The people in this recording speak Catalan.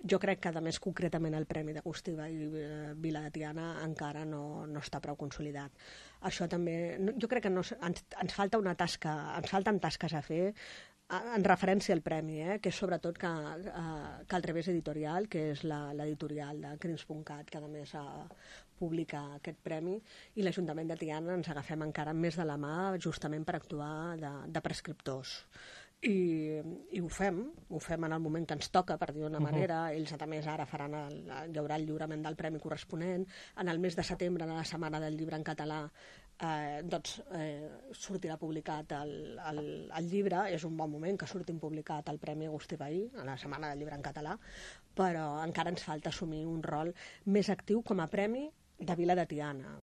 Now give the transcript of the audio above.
Jo crec que, a més, concretament el Premi d'Agustí Vila de Tiana encara no està prou consolidat. Això també... Jo crec que ens falta una tasca, ens falten tasques a fer en referència al premi, que és sobretot que el Revés Editorial, que és l'editorial de Crims.cat, que a més publica aquest premi, i l'Ajuntament de Tiana ens agafem encara més de la mà justament per actuar de prescriptors. I ho fem en el moment que ens toca, per dir-ho d'una manera. Ells a més ara hi haurà el lliurament del premi corresponent. En el mes de setembre, a la Setmana del Llibre en Català, sortirà publicat el llibre. És un bon moment que surtin publicat el Premi Agustí Vehí, a la Setmana del Llibre en Català, però encara ens falta assumir un rol més actiu com a premi de Vila de Tiana,